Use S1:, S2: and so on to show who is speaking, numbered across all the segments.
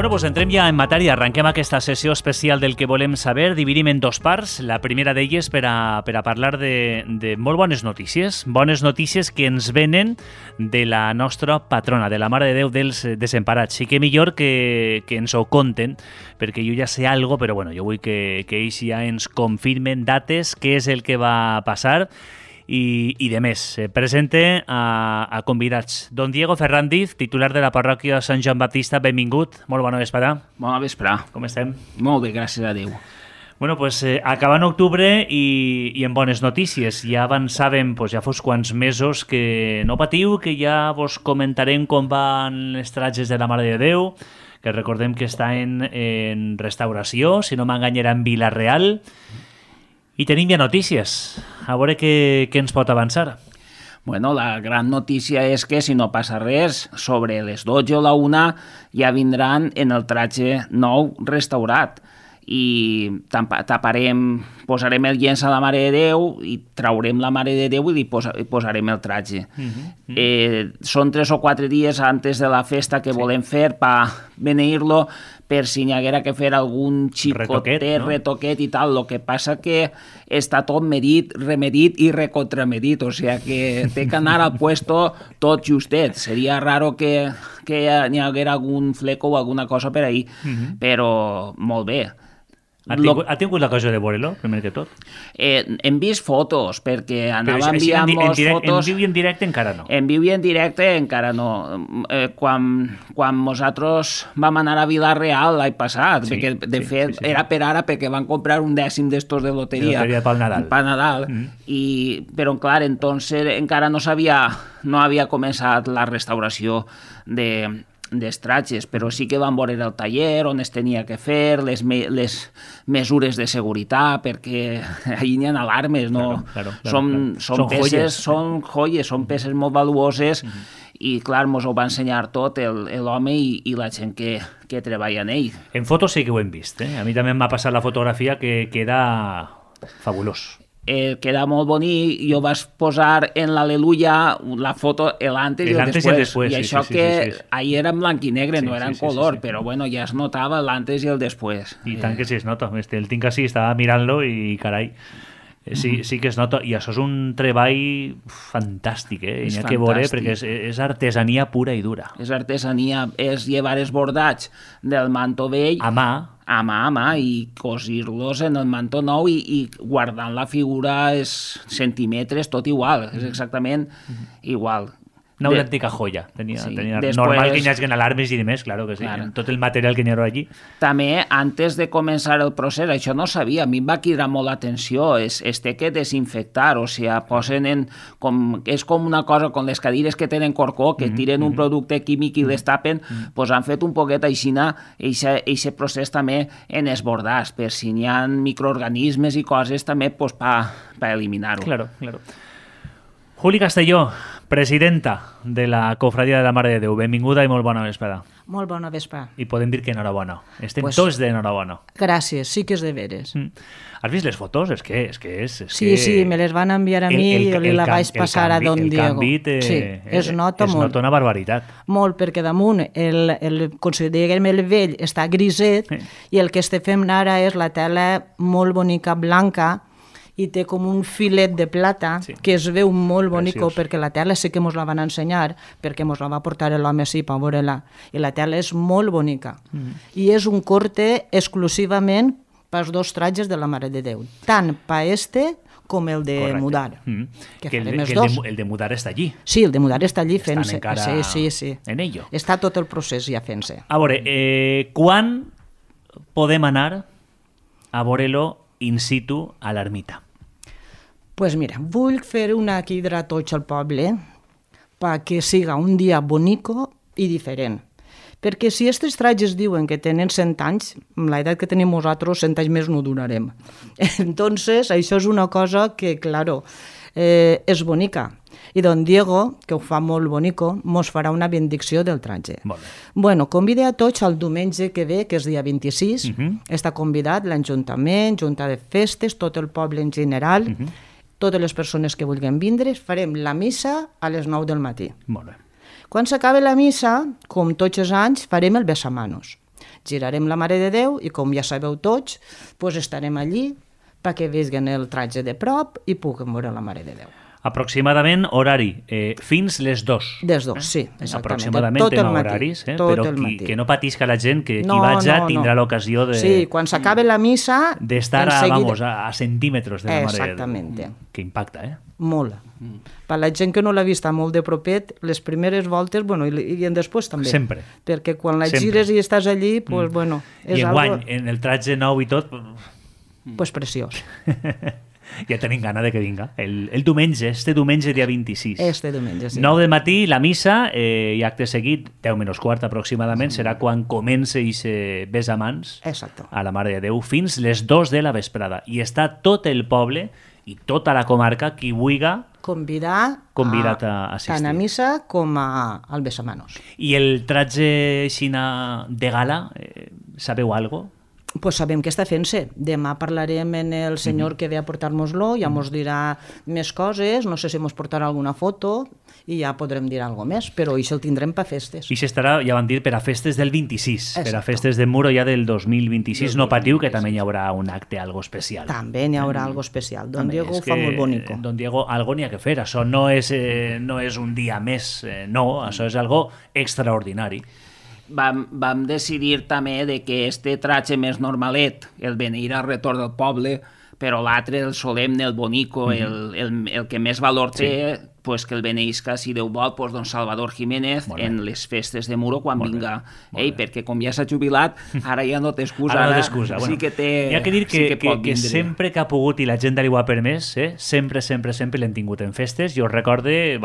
S1: Bueno, doncs entrem ja en matèria. Arrenquem aquesta sessió especial del que volem saber. Dividim en dos parts. La primera d'elles per a parlar de molt bones notícies. Bones notícies que ens venen de la nostra patrona, de la Mare de Déu dels Desemparats. Sí que millor que ens ho conten, perquè jo ja sé algo, però bueno, jo vull que ells ja ens confirmen dates, què és el que va passar. I de més, presente a convidats. Don Diego Ferrandiz, titular de la parròquia Sant Joan Baptista, benvingut. Molt bona vesprada.
S2: Bona vesprada.
S1: Com estem?
S2: Molt bé, gràcies a Déu.
S1: Bueno, pues acabant octubre i en bones notícies. Ja avançàvem, pues, ja fos quants mesos que no patiu, que ja vos comentarem com van les tratges de la Mare de Déu, que recordem que està en restauració, si no m'enganyarà, en Vila-real. I tenim ja notícies. A veure què ens pot avançar.
S2: Bueno, la gran notícia és que, si no passa res, sobre les 12 o la 1 ja vindran en el tratge nou restaurat. I taparem, posarem el llenç a la Mare de Déu i traurem la Mare de Déu i li posarem el tratge. Són 3 o 4 dies antes de la festa que volem fer per beneir-lo, per si n'hi haguera que fer algun xicotet, retoquet i tal. El que passa que està tot medit, remedit i recontramedit, o sigui que té que anar al puesto tot justet. Seria raro que n'hi haguera algun fleco o alguna cosa per ahí, però molt bé.
S1: Ha tingut la cosa de veure-lo, primer que tot?
S2: Hem vist fotos, perquè anava enviant-nos fotos...
S1: En viu i en directe encara no.
S2: En viu i en directe encara no. Quan nosaltres vam anar a Vila-real l'any passat, perquè de fet era per ara, perquè van comprar un 10 d'estos de loteria.
S1: De loteria pel Nadal.
S2: Per Nadal. Però, clar, entonces encara no havia començat la restauració dels tratges, però sí que van veure el taller on es tenia que fer, les mesures de seguretat, perquè allà n'hi ha alarmes, no? Claro. Són peces, són joies, són peces molt valuoses i, clar, mos ho va ensenyar tot l'home i la gent que treballa en ell.
S1: En fotos sí que ho hem vist, A mi també m'ha passat la fotografia que queda fabulós.
S2: Queda molt bonic. Jo vaig posar en l'Aleluia la foto l'antes i el després. I això que ahir era en blanc i negre, no era en color, però bueno, ja es notava l'antes i el després.
S1: I tant que sí es nota. El tinc així, estava mirant-lo i carai, sí que es nota. I això és un treball fantàstic,
S2: N'hi
S1: ha que veure, perquè és artesania pura i dura.
S2: És artesania, és llevar els bordats del manto vell
S1: a mà
S2: i cosir-los en el manto nou i guardant la figura centímetres, tot igual, és exactament igual.
S1: Una autèntica joia. Tenia normal que hi hagi alarmes i demés, claro que sí, en tot el material que n'hi ha allí.
S2: També, antes de començar el procés, això no sabia, a mi em va cridar molt l'atenció, es té que desinfectar, o sigui, posen és com una cosa, com les cadires que tenen corcó, que tiren un producte químic i les tapen, doncs han fet un poquet aixina, aquest procés també en esbordars, per si n'hi ha microorganismes i coses també per eliminar-ho.
S1: Claro. Juli Castelló, presidenta de la Cofradia de la Mare de Déu. Benvinguda i molt bona vesprada.
S3: Molt bona vesprada.
S1: I podem dir que enhorabona. Estem tots d'enhorabona.
S3: Gràcies, sí que és de veres.
S1: Has vist les fotos? És que
S3: Sí, me les van enviar a mi i jo li la vaig passar a Don Diego.
S1: El canvi
S3: es nota molt.
S1: Es nota una barbaritat.
S3: Molt, perquè damunt considerem el vell està griset i el que estem fent ara és la tela molt bonica, blanca, i té com un filet de plata que es veu molt bonico, perquè la tela sí que mos la van ensenyar, perquè mos la va portar l'home així per veure-la, i la tela és molt bonica. I és un corte exclusivament pels 2 tratges de la Mare de Déu, tant per com el de mudar.
S1: Que el de mudar està allí.
S3: Sí, el de mudar està allí fent-se.
S1: Sí. En ello.
S3: Està tot el procés ja fent-se.
S1: A veure, quan podem anar a veure-lo in situ a l'ermita?
S3: Pues mira, vull fer una crida a tots al poble perquè siga un dia bonico i diferent. Perquè si aquests tratges diuen que tenen 100 anys, amb l'edat que tenim nosaltres, 100 anys més no durarem. Entonces, això és una cosa que, claro, és bonica. I don Diego, que ho fa molt bonico, mos farà una benedicció del tratge. Bueno, convide a tots el diumenge que ve, que és dia 26. Està convidat l'Ajuntament, Junta de Festes, tot el poble en general, totes les persones que vulguin vindre. Farem la missa a les 9 del matí.
S1: Molt bé.
S3: Quan s'acabi la missa, com tots els anys, farem el besamanos. Girarem la Mare de Déu i, com ja sabeu tots, doncs estarem allí perquè vegin el tratge de prop i puguin veure la Mare de Déu.
S1: Aproximadament horari, fins les 2.
S3: Les 2, sí, exactament.
S1: Aproximadament
S3: tot el
S1: en
S3: matí,
S1: horaris,
S3: tot
S1: però
S3: el matí.
S1: que no patisca la gent, que qui vaja tindrà l'ocasió de...
S3: Sí, quan s'acabe la missa...
S1: D'estar a centímetres de la Mare de Déu.
S3: Exactament.
S1: Que impacta,
S3: Molt. Per la gent que no l'ha vista molt de propet, les primeres voltes, bueno, i després també.
S1: Sempre.
S3: Perquè quan la gires i estàs allí, doncs, bueno...
S1: I enguany, en el tratge nou i tot...
S3: Pues preciós.
S1: Ja tenim gana de que vinga. El diumenge, este diumenge dia 26.
S3: Este diumenge, sí.
S1: 9 del matí, la missa, i acte seguit, 10 menys quart aproximadament, serà quan comença i se besa mans a la Mare de Déu fins les 2 de la vesprada. I està tot el poble i tota la comarca qui vulga convidat a assistir.
S3: Tant a missa com al besamanos.
S1: I el tratge xina de gala, sabeu alguna cosa?
S3: Pues sabem que està fent-se. Demà parlarem amb el senyor que ve a portar-nos-lo, ja mos dirà més coses, no sé si mos portarà alguna foto i ja podrem dir alguna més, però això el tindrem per festes.
S1: I s'estarà, ja van dir, per a festes del 26, per a festes de Muro ja del 2026. No patiu, que també hi haurà un acte algo especial.
S3: També hi haurà algo especial. Don Diego ho fa molt bonico.
S1: Don Diego, algo n'hi ha que fer. Això no és un dia més, no, això és algo extraordinari.
S2: Vam decidir també de que este tratge més normalet, el beneir al retorn del poble, però l'altre, el solemne, el bonico, el que més valor té, pues que el beneïsca, si Déu vol, pues, don Salvador Jiménez en les festes de Muro quan vinga ell, perquè com ja s'ha jubilat, ara ja no té excusa.
S1: Ara no té excusa.
S2: Sí que té...
S1: Hi ha que dir que sempre que ha pogut i la gent li ho ha permès, sempre l'hem tingut en festes. Jo recorde,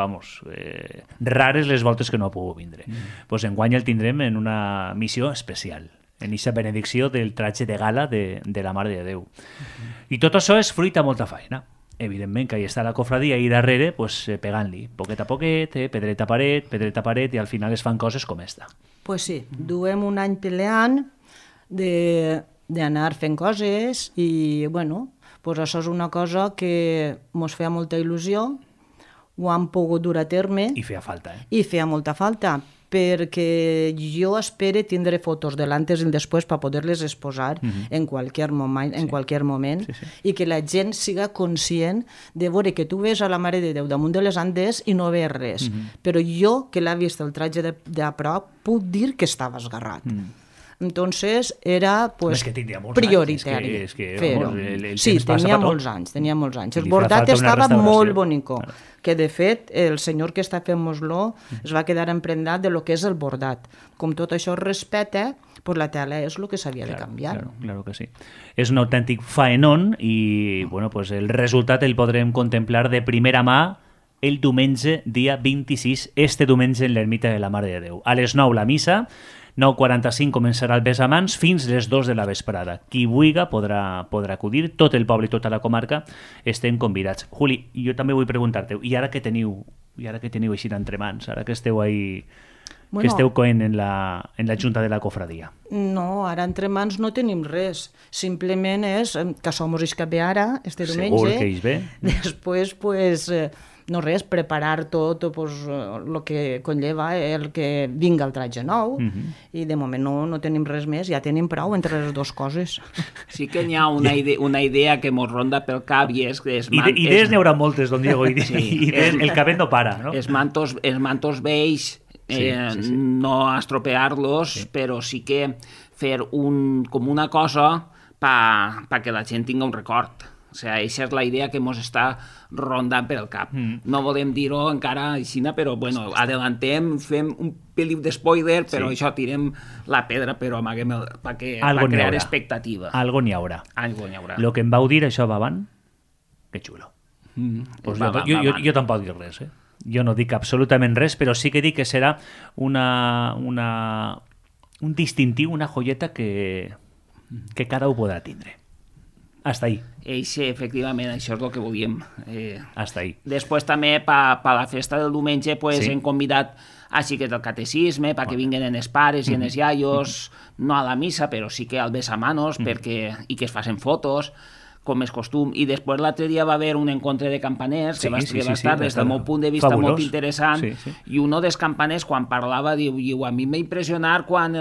S1: rares les voltes que no ha pogut vindre. Pues enguany el tindrem en una missió especial, en aquesta benedicció del tratge de gala de la Mare de Déu. I tot això és fruit a molta feina. Evidentment que hi està la cofradia i darrere pegant-li, poquet a poquet, pedreta a paret, i al final es fan coses com esta.
S3: Pues sí, duem un any peleant d'anar fent coses i, bueno, pues això és una cosa que mos feia molta il·lusió, ho hem pogut dur a terme.
S1: I feia falta,
S3: I feia molta falta, perquè jo espero tindre fotos de l'antes i el després per poder-les exposar en qualsevol moment, i que la gent siga conscient de veure que tu ves a la Mare de Déu damunt de les Andes i no veus res. Però jo, que l'he vist el tratge de prop, puc dir que estava esgarrat. Entonces era prioritari fer-ho. Sí, tenia molts anys. El bordat estava molt bonico, que de fet el senyor que està fent-nos-lo es va quedar emprendat de lo que és el bordat. Com tot això es respecta, pues la tela és el que s'havia de canviar.
S1: Claro que sí. És un autèntic faenón i bueno, pues el resultat el podrem contemplar de primera mà el diumenge, dia 26, este diumenge en l'ermita de la Mare de Déu. A les 9 la missa, 9:45 començarà el besamans fins les 2 de la vesprada. Qui vulga podrà acudir, tot el poble i tota la comarca estem convidats. Juli, jo també vull preguntar-te, i ara que teniu així entre mans, ara que esteu ahí, que esteu coent en la Junta de la Cofradia?
S3: No, ara entre mans no tenim res. Simplement és que som els que ve ara, este diumenge.
S1: Segur que ells ve.
S3: Després, pues... no res, preparar tot el que conlleva el que vinga el tratge nou, i de moment no tenim res més, ja tenim prou entre les dues coses.
S2: Sí que hi ha una idea que mos ronda pel cap i és...
S1: Idees n'hi haurà moltes, don Diego, i el cabell no para, no?
S2: Els mantos vells, no estropear-los, però sí que fer com una cosa perquè la gent tingui un record. O sigui, aquesta és la idea que ens està rondant per el cap. No volem dir-ho encara així, però bueno, adellantem, fem un peliu d'espoiler, però això tirem la pedra, però amaguem per crear expectativa.
S1: Algo n'hi haurà. Lo que em vau dir, això va avant, que xulo. Jo tampoc dic res, Jo no dic absolutament res, però sí que dic que serà un distintiu, una joieta que cada un podrà tindre. Hasta ahí.
S2: Efectivament, això és el que volíem.
S1: Hasta ahí.
S2: Després també, per la festa del diumenge, hem convidat a xiquets del catecisme perquè vinguen en els pares i en els iaios, no a la missa, però sí que al besamanos, i que es facin fotos. com és costum. I després l'altre dia va haver un encontre de campaners que va estar des del meu punt de vista molt interessant, i un dels campaners quan parlava diu, a mi m'ha impressionat quan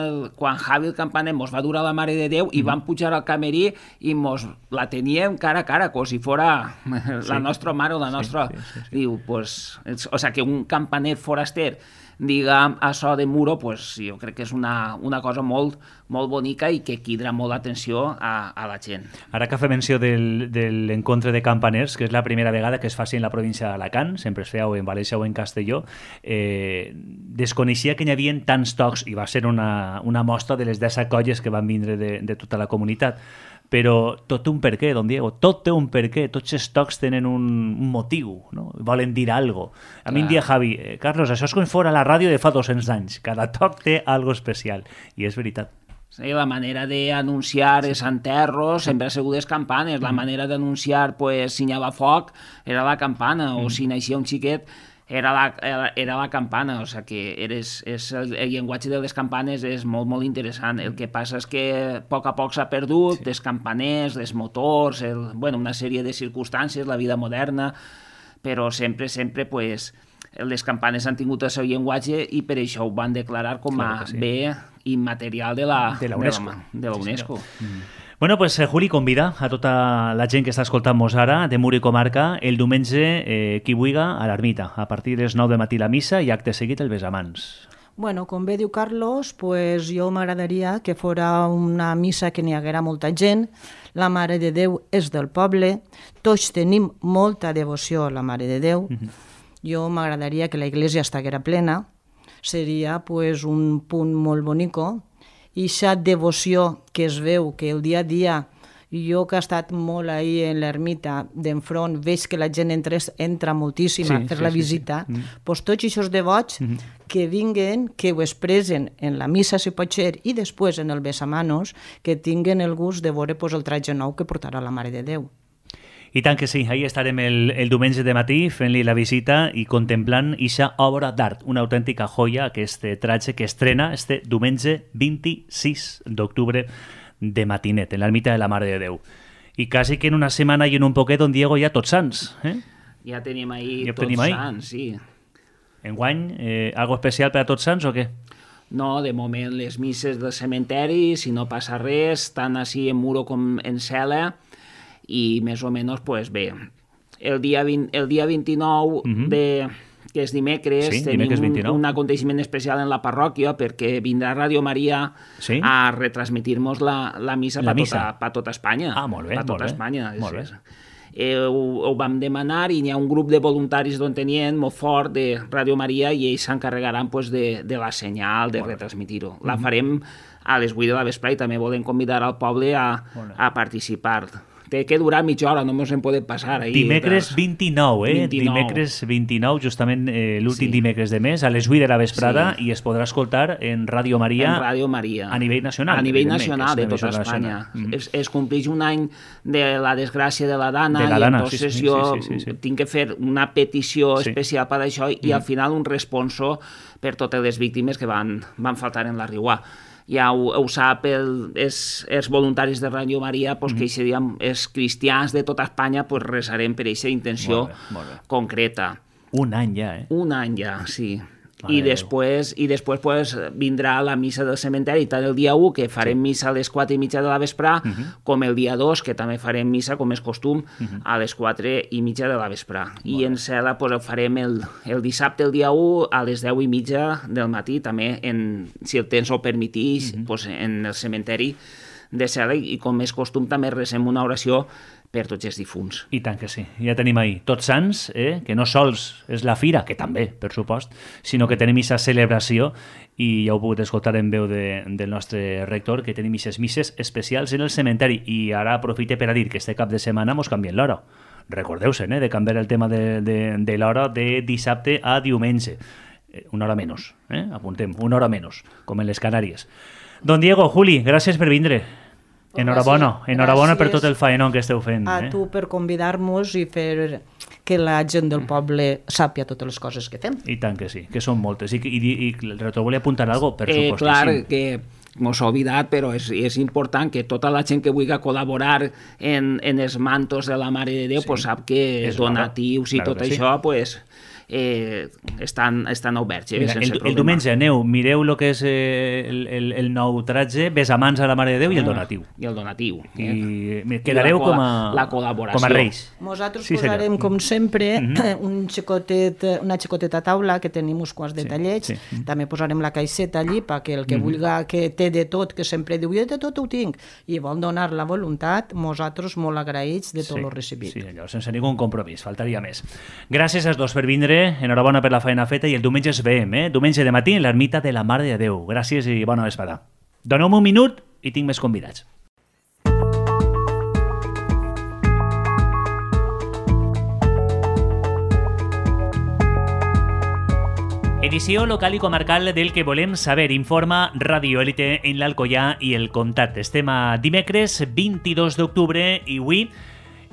S2: Javi el campaner mos va dur a la Mare de Déu i van pujar al camerí i mos la teníem cara a cara, com si fora la nostra mare o la nostra... Diu, pues, o sea, que un campaner foraster diga això de Muro, pues, jo crec que és una cosa molt, molt bonica i que crida molt l'atenció a la gent.
S1: Ara que fa menció de l'encontre de campaners, que és la primera vegada que es faci en la província d'Alacant, sempre es feia o en València o en Castelló, desconeixia que hi havia tants tocs, i va ser una mostra de les 10 colles que van vindre de tota la comunitat. Però tot té un perquè, don Diego, tot té un perquè, tots els tocs tenen un motiu, no? Volen dir alguna cosa. A mi em dia Javi, Carlos, això és com fora la ràdio de fa 200 anys, cada toc té alguna especial, i és veritat.
S2: Sí, la manera d'anunciar els enterros sempre ha sigut les campanes, la manera d'anunciar si n'hi havia foc era la campana, o si naixia un xiquet era la campana, o sigui que el llenguatge de les campanes és molt, molt interessant. El que passa és que a poc s'ha perdut, els campaners, els motors, una sèrie de circumstàncies, la vida moderna, però sempre, les campanes han tingut el seu llenguatge i per això ho van declarar com a bé immaterial de la UNESCO.
S1: Bueno, pues Juli convida a tota la gent que està escoltant-nos ara, de Mur i comarca, el diumenge qui vulga a l'ermita, a partir de les 9 del matí la missa i acte seguit el besamans.
S3: Bueno, com bé diu Carlos, pues jo m'agradaria que fora una missa que n'hi haguera molta gent. La Mare de Déu és del poble, tots tenim molta devoció a la Mare de Déu. Jo m'agradaria que la iglesia estiguera plena, seria pues un punt molt bonico. I aquesta devoció que es veu, que el dia a dia, jo que he estat molt ahí en l'ermita d'enfront, veig que la gent entra moltíssima a fer la visita, doncs tots aquests devots que vinguen, que ho expressen en la missa, si pot ser, i després en el besamanos, que tinguen el gust de veure el tratge nou que portarà la Mare de Déu.
S1: I tant que sí, ahí estarem el diumenge de matí fent-li la visita i contemplant aquesta obra d'art, una autèntica joia, aquest tratge que estrena este diumenge 26 d'octubre de matinet, en l'ermita de la Mare de Déu. I quasi que en una setmana i en un poquet, don Diego, ja Tots Sants.
S2: Ja tenim ahir Tots Sants, sí.
S1: Enguany, algo especial per a Tots Sants o què?
S2: No, de moment les misses del cementeri, si no passa res, tant així en Muro com en Cela, i més o menys, pues bé, el dia 29 que és dimecres, tenim un aconteixement especial en la parròquia perquè vindrà Ràdio Maria a retransmitir-nos la missa per tota Espanya.
S1: Ah, molt bé,
S2: per tota Espanya. Ho vam demanar i n'hi ha un grup de voluntaris d'on tenien molt fort de Ràdio Maria i ells s'encarregaran de la senyal, de retransmitir-ho. La farem a les 8 de la vesprada i també volem convidar al poble a participar. Té que durar mitja hora, no ens en podem passar.
S1: Dimecres 29, Dimecres 29, justament l'últim dimecres de mes, a les 8 de la vesprada, i es podrà escoltar en Ràdio Maria.
S2: En Ràdio Maria.
S1: A nivell nacional.
S2: A nivell nacional de tota Espanya. Es compleix un any de la desgràcia de la Dana, i entonces jo tinc que fer una petició especial per això i al final un responso per totes les víctimes que van faltar en la Riuà. Ja ho sap els voluntaris de Ràdio Maria, que els cristians de tota Espanya resarem per aquesta intenció concreta.
S1: Un any ja,
S2: Un any ja, sí. I després vindrà la missa del cementeri, tant el dia 1, que farem missa a les 4:30 de la vesprà, com el dia 2, que també farem missa, com és costum, a les 4:30 de la vesprà. I en Cela ho farem el dissabte, el dia 1, a les 10:30 del matí, també, si el temps ho permetís, en el cementeri de Cela, i com és costum també recem una oració per tots els difunts.
S1: I tant que sí, ja tenim ahir Tots Sants, que no sols és la fira, que també, per supost, sinó que tenim aquesta celebració, i ja ho he pogut escoltar en veu del nostre rector, que tenim aquestes misses especials en el cementeri. I ara aprofite per a dir que este cap de setmana mos canviem l'hora. Recordeu-se, de canviar el tema de l'hora de dissabte a diumenge. Una hora menys, apuntem, una hora menys, com en les Canàries. Don Diego, Juli, gràcies per vindre. Enhorabona per tot el faenón que esteu fent.
S3: A tu per convidar-nos i fer que la gent del poble sàpia totes les coses que fem.
S1: I tant que sí, que són moltes. I el rector volia apuntar alguna cosa, per supostíssim.
S2: Clar, que mos ha oblidat, però és important que tota la gent que vulgui col·laborar en els mantos de la Mare de Déu pues sap que donatius i tot això pues, estan oberts.
S1: Mira, el diumenge aneu, mireu el que és el nou tratge, besamans a la Mare de Déu i el donatiu.
S2: I el donatiu.
S1: I quedareu com a reis.
S3: Nosaltres posarem, com sempre, una xicoteta taula, que tenim uns quants detallets. També posarem la caixeta allí perquè el que vulgui, que té de tot, que sempre diu, jo de tot ho tinc, i vol donar la voluntat, nosaltres molt agraïts de tot el recibit.
S1: Sí, allò, sense ningú compromís, faltaria més. Gràcies als dos per vindre, enhorabona per la feina feta, i el diumenge es veiem, diumenge de matí en l'ermita de la Mare de Déu. Gràcies i bona vesprada. Doneu-me un minut i tinc més convidats. Edició local i comarcal del que volem saber, informa Radio Élite en l'Alcoià i el Comtat. Estem a dimecres 22 d'octubre i avui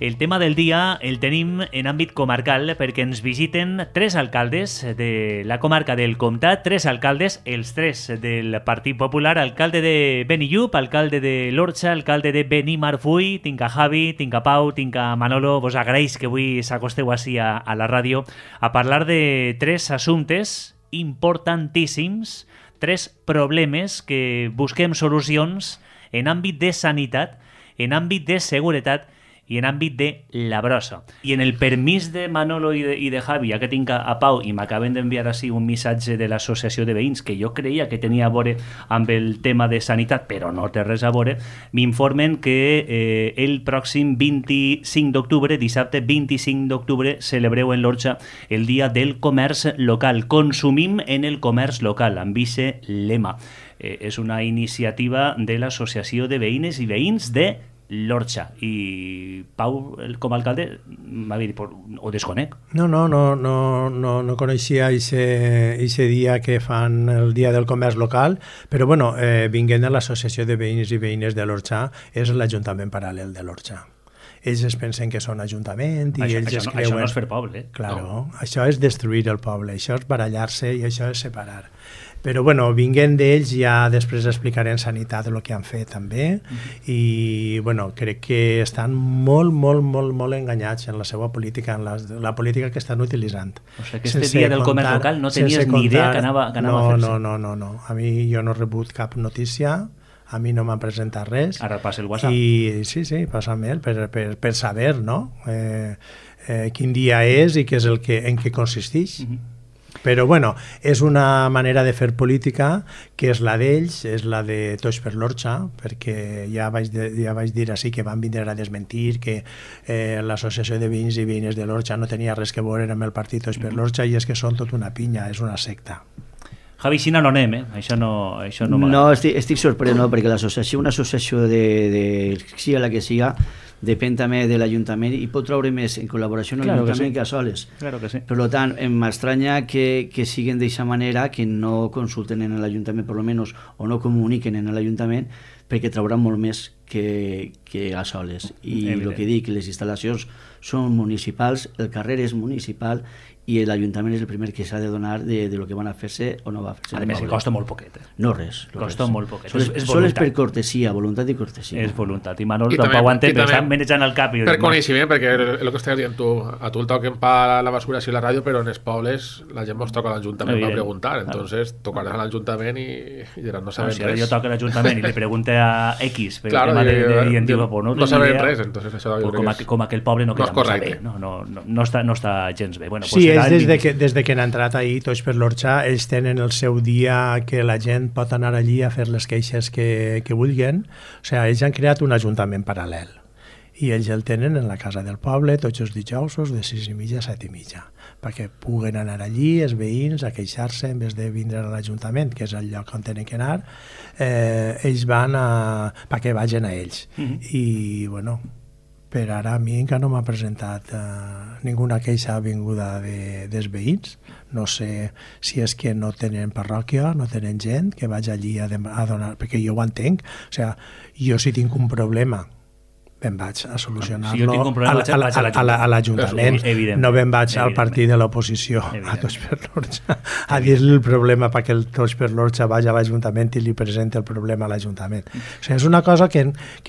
S1: el tema del dia el tenim en àmbit comarcal perquè ens visiten 3 alcaldes de la comarca del Comtat, 3 alcaldes, els 3 del Partit Popular, alcalde de Benillup, alcalde de l'Orxa, alcalde de Benimarfull, tinc a Javi, tinc a Pau, tinc a Manolo. Vos agraïs que avui s'acosteu així a la ràdio a parlar de 3 assumptes importantíssims, 3 problemes que busquem solucions en àmbit de sanitat, en àmbit de seguretat i en àmbit de la brossa. I en el permís de Manolo i de Javi, ja que tinc a Pau, i m'acaben d'enviar així un missatge de l'associació de veïns que jo creia que tenia a veure amb el tema de sanitat, però no té res a veure, m'informen que el pròxim 25 d'octubre, dissabte 25 d'octubre, celebreu en l'Orxa el Dia del Comerç Local. Consumim en el comerç local, amb vice lema. És una iniciativa de l'Associació de Veïnes i Veïns de l'Orxa. I Pau, com a alcalde, m'ha dit, ho desconec.
S4: No coneixia aquest dia que fan el Dia del Comerç Local, però bueno, vinguent de l'Associació de Veïns i Veïnes de l'Orxa, és l'Ajuntament Paral·lel de l'Orxa. Ells es pensen que són ajuntament i ells es creuen...
S1: Això no és fer poble.
S4: Claro, això és destruir el poble, això és barallar-se i això és separar. Però bueno, vinguent d'ells ja després explicaré en sanitat el que han fet també i bueno, crec que estan molt enganyats en la seva política, en la política que estan utilitzant.
S1: O sigui que este dia del comerç local no tenies ni idea que anava a fer-se.
S4: No. A mi jo no he rebut cap notícia, a mi no m'han presentat res.
S1: Ara passa el WhatsApp.
S4: I sí, passa mail per saber, no? Quin dia és i què és en què consisteix. Però bueno, és una manera de fer política que és la d'ells, és la de Tots per l'Orxa, perquè ja vaig dir així que van vindre a desmentir que l'Associació de Veïns i Veïnes de l'Orxa no tenia res que veure amb el partit Tots per l'Orxa i és que són tot una pinya, és una secta.
S1: Javi, si no anem, això no m'agrada.
S5: No, estic sorprès, no, perquè l'associació, una associació de siga la que siga, depèn també de l'Ajuntament i pot treure més en col·laboració amb l'Ajuntament que a soles.
S1: Claro que sí.
S5: Per tant, m'estranya que siguin d'aquesta manera, que no consulten en l'Ajuntament, per almenys, o no comuniquen en l'Ajuntament, perquè trauran molt més que a soles. I el que dic, les instal·lacions són municipals, el carrer és municipal i l'Ajuntament és el primer que s'ha de donar de lo que van a fer-se o no va a fer-se.
S1: A més, costa molt poquet.
S5: No res.
S1: Costa molt poquet.
S5: Sols per cortesia, voluntat i cortesia.
S1: És voluntat. I Manol tampoc ho entén, però estan manejant el cap.
S6: Per coneixement, perquè el que estàs dient tu, a tu el toquen per la basura i la ràdio, però en els pobles la gent mos toca a l'Ajuntament per preguntar. Entonces, tocaràs a l'Ajuntament i diran, no sabem res.
S1: Si ara jo toco a l'Ajuntament i li pregunte a X per el tema i em diu,
S6: no sabem res, entonces això
S1: com aquell poble no queda molt bé. No està gens bé.
S4: Sí, és des que han entrat ahir Tots per l'Orxa, ells tenen el seu dia que la gent pot anar allí a fer les queixes que vulguin. O sigui, ells han creat un ajuntament paral·lel i ells el tenen en la casa del poble tots els dijousos de 6:30 a 7:30 perquè puguen anar allí els veïns a queixar-se en vez de vindre a l'Ajuntament, que és el lloc on tenen que anar. Ells van perquè vagin a ells. I bueno, per ara a mi encara no m'ha presentat ninguna queixa vinguda dels veïns. No sé si és que no tenen parròquia, no tenen gent que vagi allí a donar, perquè jo ho entenc. O sigui, jo si tinc un problema me'n vaig a solucionar-lo
S1: si jo tinc un problema,
S4: a l'Ajuntament, no me'n vaig al partit de l'oposició, a Tots per l'Orxa, a dir-li el problema perquè el Tots per l'Orxa vagi a l'Ajuntament i li presenti el problema a l'Ajuntament. O sigui, és una cosa que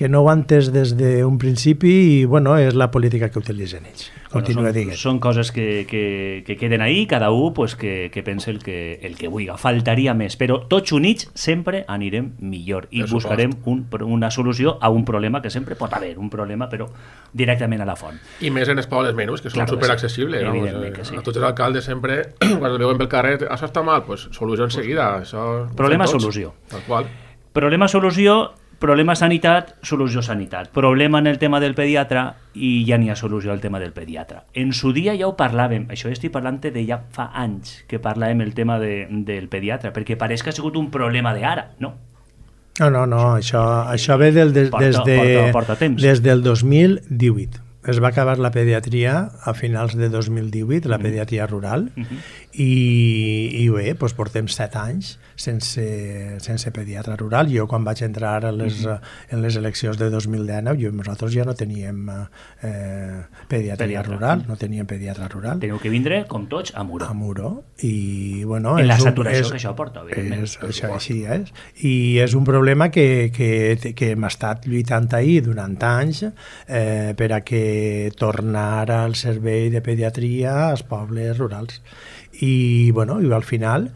S4: no ho han entès des d'un principi i, bueno, és la política que utilitzen ells. Continua dient.
S1: Són coses que queden ahí, cada un pues, que pensa el que vulgui. Faltaria més, però tots units sempre anirem millor i buscarem una solució a un problema que sempre pot haver, un problema però directament a la font.
S6: I més en els pobles menys, que són superaccessibles. A tots els alcaldes sempre, quan el veuen pel carrer, això està mal, pues solució enseguida.
S1: Problema-solució.
S6: Tal qual.
S1: Problema-solució, problema sanitat, solució sanitat. Problema en el tema del pediatre i ja n'hi ha solució al tema del pediatre. En su dia ja ho parlàvem, això estic parlant de ja fa anys que parlàvem el tema del pediatre, perquè pareix que ha sigut un problema d'ara, no?
S4: No, això ve des del 2018. Es va acabar la pediatria a finals de 2018, la pediatria rural, i bé, doncs portem 7 anys sense pediatra rural. Jo quan vaig entrar en les eleccions de 2019, nosaltres ja no teníem pediatria rural, no teníem pediatra rural.
S1: Teniu que vindre, com tots, a Muro.
S4: A Muro, i bueno...
S1: En la saturació que això porta, evidentment.
S4: Això així és. I és un problema que hem estat lluitant ahir durant anys per a que tornar al servei de pediatria als pobles rurals. I, bueno, i al final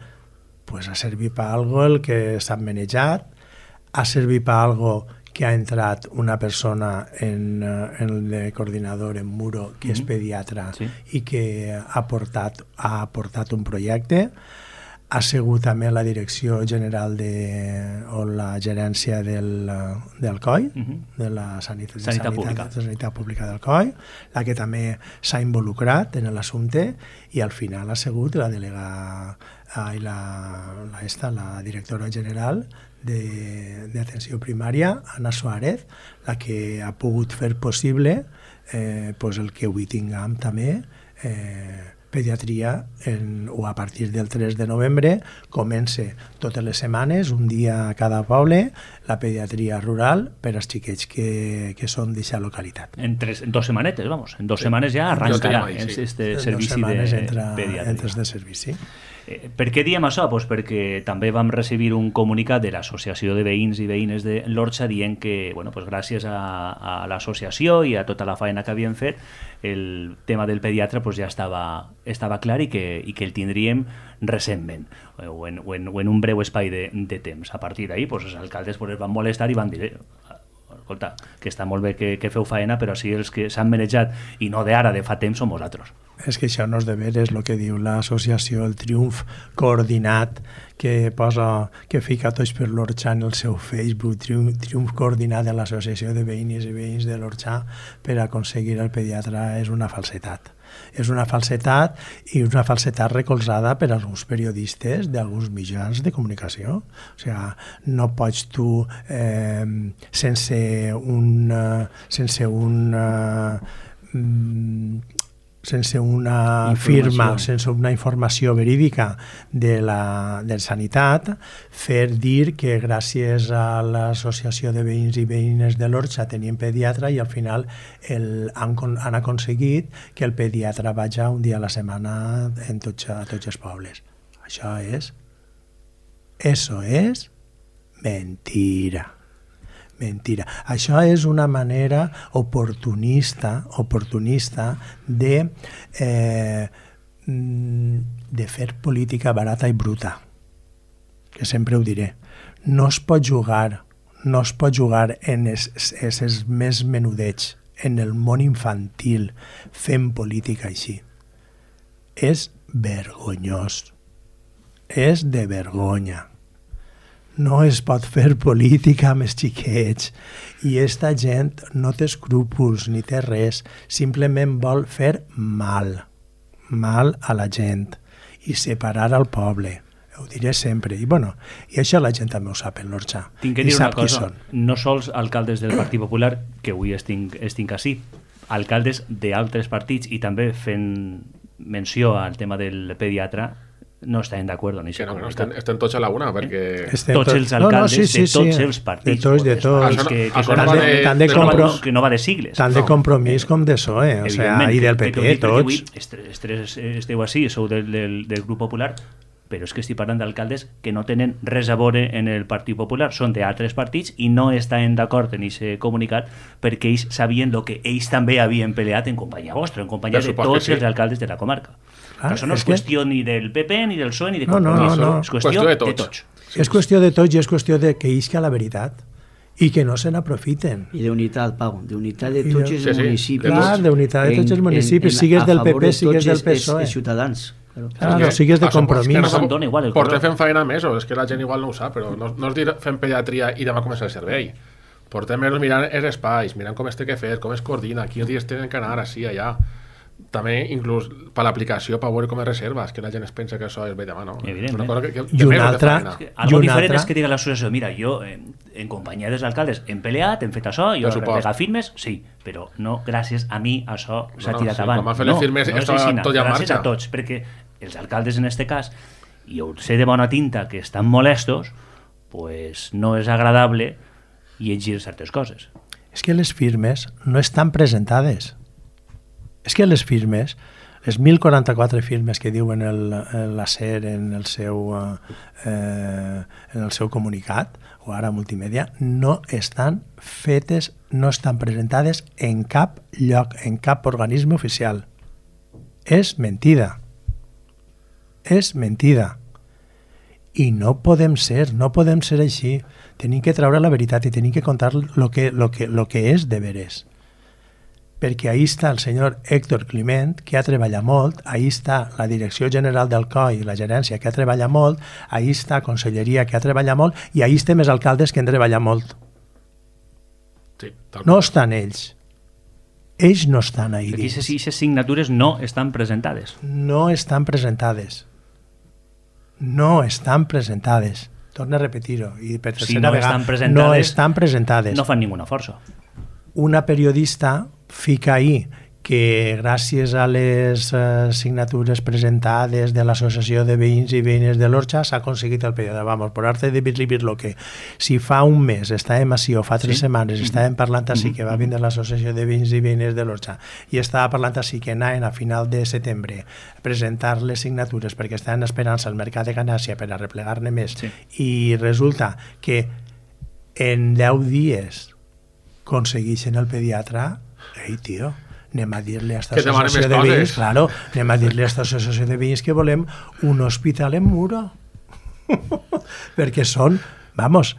S4: pues, ha servit per algo el que s'ha manejat, ha servit per algo que ha entrat una persona en el coordinador en Muro, que és pediatra, i que ha portat un projecte. Ha sigut també la direcció general o la gerència del COI, de la Sanitat Pública del COI, la que també s'ha involucrat en l'assumpte, i al final ha sigut la directora general d'atenció primària, Anna Suárez, la que ha pogut fer possible el que avui tinguem també pediatria o a partir del 3 de novembre comença totes les setmanes, un dia a cada poble, la pediatria rural per als xiquets que són d'aquesta localitat.
S1: En 2 setmanetes, vamos. En 2 setmanes ja arrancarà este servici de pediatria.
S4: Entres de servici.
S1: Per què diem això? Pues perquè també vam recibir un comunicat de l'Associació de Veïns i Veïnes de l'Orxa dient que, bueno, pues gràcies a l'associació i a tota la feina que havien fet, el tema del pediatre pues ja estava clar i que el tindríem recentment o en un breu espai de temps. A partir d'ahir pues, els alcaldes pues, es van molestar i van dir escolta, que està molt bé que feu faena, però si els que s'han manejat i no d'ara, de fa temps, som vosaltres.
S4: És que això no és de veres el que diu l'associació, el triomf coordinat que fica Tots per l'Orxa en el seu Facebook, triomf coordinat de l'associació de veïnes i veïns de l'Orxa per aconseguir el pediatre és una falsetat. És una falsetat i una falsetat recolzada per alguns periodistes d'alguns mitjans de comunicació. O sigui, no pots tu sense una firma, sense una informació verídica de Sanitat, fer dir que gràcies a l'associació de veïns i veïnes de l'Orxa tenien pediatre i al final han aconseguit que el pediatre vagi un dia a la setmana a tots els pobles. Això és mentira. Mentira. Això és una manera oportunista de fer política barata i bruta, que sempre ho diré. No es pot jugar en els més menudets, en el món infantil, fent política així. És vergonyós. És de vergonya. No es pot fer política amb els xiquets i esta gent no té escrúpols ni té res, simplement vol fer mal a la gent i separar el poble. Ho diré sempre. I això la gent també ho sap en l'Orxa.
S1: Tinc que dir una cosa, no sols alcaldes del Partit Popular, que avui estic així, alcaldes d'altres partits i també fent menció al tema del pediatre, no estaven d'acord en
S6: Que
S1: això.
S6: no estem tots a la una, perquè...
S1: Tots els alcaldes de tots els partits.
S4: De tots.
S1: Que no va de sigles.
S4: Tant de Compromís com de PSOE, o sea, i del PP, tots.
S1: Esteu així, sou del grup popular, però és que estic parlant d'alcaldes que no tenen res a veure en el Partit Popular, són d'altres partits i no estaven d'acord en aquest comunicat perquè ells sabien el que ells també havien peleat en companyia vostra, en companyia de tots els alcaldes de la comarca. Això no és qüestió ni del PP, ni del PSOE, ni de Compromís, és qüestió de tots.
S4: És qüestió de tots i és qüestió de que isca la veritat i que no se n'aprofiten.
S5: I d'unitat, Pau, d'unitat de tots els municipis.
S4: Clar, d'unitat de tots els municipis, sigues del PP, sigues del PSOE.
S5: Els ciutadans.
S4: No sigues de Compromís.
S6: Portem fent feina mesos, és que la gent igual no ho sap, però no és dir fent pediatria i demà començar el servei. Portem mesos mirant els espais, mirant com es té que fer, com es coordina, quins dies tenen que anar, així, allà. També, inclús, per l'aplicació, per veure com es reserva, és que la gent es pensa que això és bé demà, no?
S1: Evidentment.
S4: I una altra...
S1: Algo diferent és que diga l'associació, mira, jo, en companyia dels alcaldes, hem peleat, hem fet això, jo he regat firmes, sí, però no, gràcies a mi, això s'ha tirat avant.
S6: Com han fet les firmes, estava tot ja en marxa.
S1: Gràcies a tots, perquè els alcaldes, en este cas, i jo sé de bona tinta que estan molestos, pues no és agradable llegir certes coses.
S4: És que les firmes no estan presentades. És que les firmes, les 1.044 firmes que diuen l'ACER en el seu comunicat, o ara multimèdia, no estan fetes, no estan presentades en cap lloc, en cap organisme oficial. És mentida. És mentida. I no podem ser així. Tenim que treure la veritat i tenim que contar lo que és de veres. Perquè ahí està el senyor Héctor Climent, que ha treballat molt, ahí està la Direcció General del COI, la gerència, que ha treballat molt, ahí està Conselleria, que ha treballat molt, i ahí estem els alcaldes que han treballat molt.
S6: Sí,
S4: no estan ells. Ells no estan ahí dins.
S1: Aquestes signatures no estan presentades.
S4: No estan presentades. No estan presentades. Torna a repetir-ho. I per tercera vegada, no estan presentades.
S1: No fan ninguna força.
S4: Una periodista fica ahí que gràcies a les signatures presentades de l'Associació de Veïns i Veïnes de l'Orxa s'ha aconseguit el període. Vamos, por arte de vivir lo que si fa un mes estàvem així o fa 3 setmanes estàvem parlant així que va vindre l'Associació de Veïns i Veïnes de l'Orxa i estava parlant així que anaven a final de setembre a presentar les signatures perquè estaven esperant al mercat de Ganàcia per a replegar-ne més i resulta que en 10 dies aconsegueixen el pediatre, ei, tio, anem a dir-li a esta associació de veïns, claro, anem a dir-li a esta associació de veïns que volem un hospital en Muro. Perquè són magos,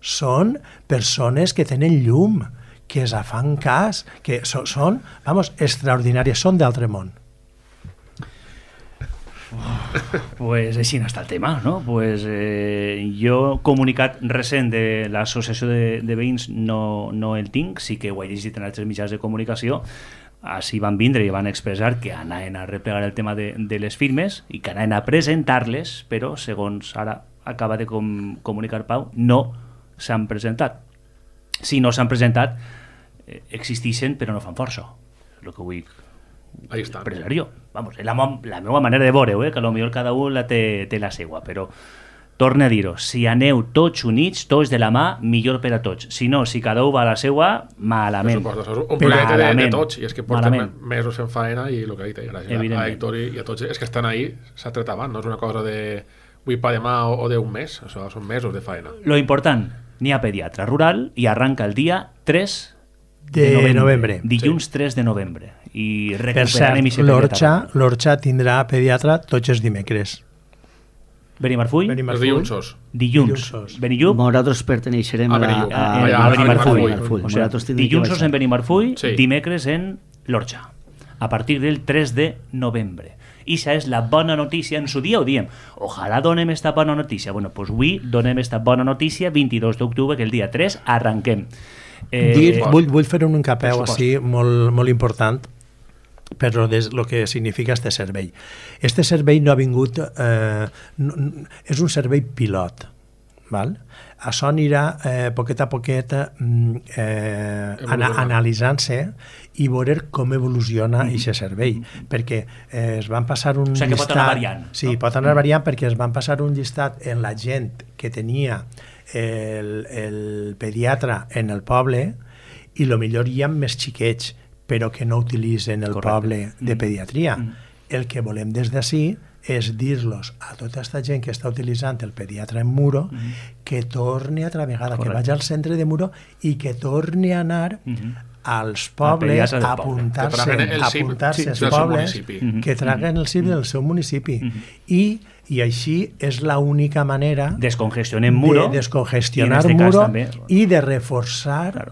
S4: són persones que tenen llum, que es fan cas, que són, extraordinàries, són d'altre món.
S1: Pues així no està el tema, no? Pues jo comunicat recent de l'associació de veïns no el tinc, sí que ho he llegit en altres mitjans de comunicació, així van vindre i van expressar que anaven a replegar el tema de les firmes i que anaven a presentar-les, però segons ara acaba de comunicar Pau, no s'han presentat. Si no s'han presentat, existeixen però no fan força, el que vull expressar jo. Vamos, és la meva manera de veure-ho, que potser cada un la té la seva, però torno a dir-ho, si aneu tots units, tots de la mà, millor per a tots. Si no, si cada un va a la seva, malament.
S6: Un projecte de tots, i és que portem mesos fent faena i el que ha dit, gràcies a Héctor i a tots, és que estan ahí, s'ha tret avant, no és una cosa de avui per demà o d'un mes, això són mesos de faena.
S1: Lo important, n'hi ha pediatre rural i arranca el dia 3
S4: de novembre.
S1: Dilluns 3 de novembre. I
S4: per cert, l'Orxa tindrà pediatre tots els dimecres.
S1: Benimarfull?
S6: Els dilluns.
S1: Dilluns. Benillup?
S5: Nosaltres perteneixerem a
S1: Benimarfull. Dilluns en Benimarfull, dimecres en l'Orxa. A partir del 3 de novembre. I això és la bona notícia, en su dia ho diem. Ojalà donem esta bona notícia. Bueno, doncs avui donem esta bona notícia, 22 d'octubre, que el dia 3 arranquem.
S4: Vull fer un encapeu així molt important per lo que significa este servei. Este servei no ha vingut... és un servei pilot. val? Això anirà poquet a poquet analitzant-se i veure com evoluciona aquest servei, perquè es van passar un llistat...
S1: O sigui que pot anar variant.
S4: Sí, pot anar variant perquè es van passar un llistat en la gent que tenia el pediatre en el poble i millor hi ha més xiquets però que no utilitzen el poble de pediatria. El que volem des d'ací és dir-los a tota aquesta gent que està utilitzant el pediatre en Muro que torni altra vegada, que vagi al centre de Muro i que torni a anar als pobles a apuntar-se als pobles que traguen el CIP del seu municipi i així és l'única manera
S1: descongestionar Muro
S4: i de reforçar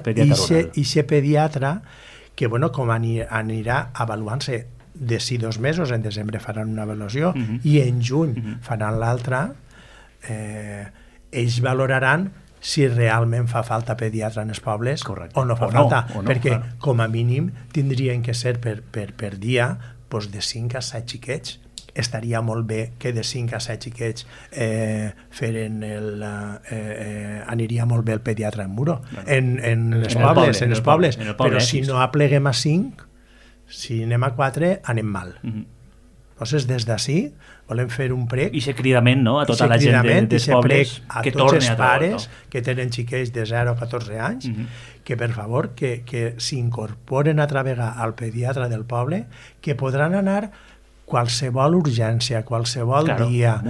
S4: aquest pediatre que com anirà avaluant-se de 2 mesos, en desembre faran una avaluació i en juny faran l'altra, ells valoraran si realment fa falta pediatre en els pobles o no fa falta, perquè com a mínim tindrien que ser per dia de 5 a 7 xiquets. Estaria molt bé que de 5 a 7 xiquets aniria molt bé el pediatre en Muro, en els pobles, però si no apleguem a 5, si anem a 4, anem mal. Llavors, des d'ací, volem fer un prec...
S1: I aquest cridament, no?, a tota la gent dels pobles que torni a
S4: tots els pares que tenen xiquets de 0 a 14 anys, que per favor, que s'incorporen altra vegada al pediatre del poble, que podran anar qualsevol urgència, qualsevol dia,